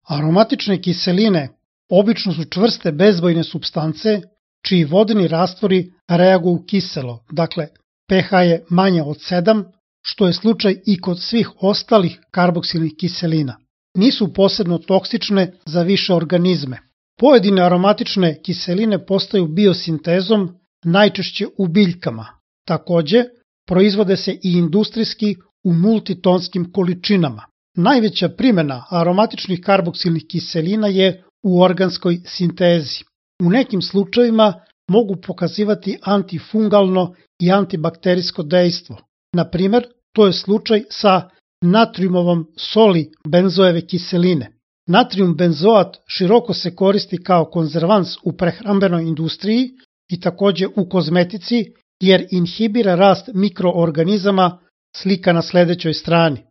Aromatične kiseline obično su čvrste bezbojne supstance čiji vodeni rastvori reaguju kiselo, dakle pH je manje od 7, što je slučaj i kod svih ostalih karboksilnih kiselina. Nisu posebno toksične za više organizme. Pojedine aromatične kiseline postaju biosintezom, najčešće u biljkama. Takođe, proizvode se i industrijski u multitonskim količinama. Najveća primjena aromatičnih karboksilnih kiselina je u organskoj sintezi. U nekim slučajevima mogu pokazivati antifungalno i antibakterijsko dejstvo. Na primer, to je slučaj sa natriumovom soli benzoeve kiseline. Natrium benzoat široko se koristi kao konzervans u prehrambenoj industriji i takođe u kozmetici jer inhibira rast mikroorganizama, slika na sledećoj strani.